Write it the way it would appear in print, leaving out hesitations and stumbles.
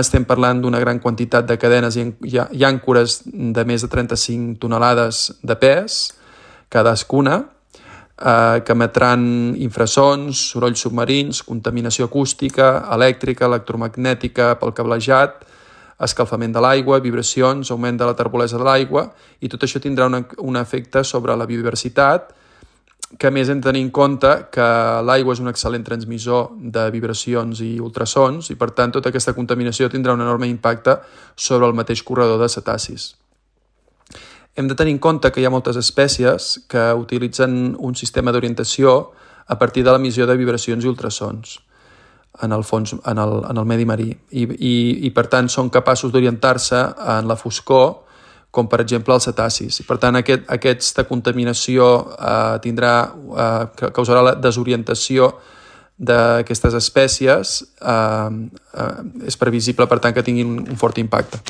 estem parlant d'una gran quantitat de cadenes i àncores de més de 35 tonelades de pes, cadascuna, que emetran infrasons, sorolls submarins, contaminació acústica, elèctrica, electromagnètica pel cablejat, escalfament de l'aigua, vibracions, augment de la turbolesa de l'aigua, i tot això tindrà un efecte sobre la biodiversitat, que a més hem de tenir en compte que l'aigua és un excel·lent transmissor de vibracions i ultrasons i per tant tota aquesta contaminació tindrà un enorme impacte sobre el mateix corredor de cetacis. Hem de tenir en compte que hi ha moltes espècies que utilitzen un sistema d'orientació a partir de l'emissió de vibracions i ultrasons en el fons, en el medi marí i per tant són capaços d'orientar-se en la foscor, com per exemple els cetacis. Per tant, aquesta contaminació causarà la desorientació d'aquestes espècies. És previsible, per tant, que tinguin un fort impacte.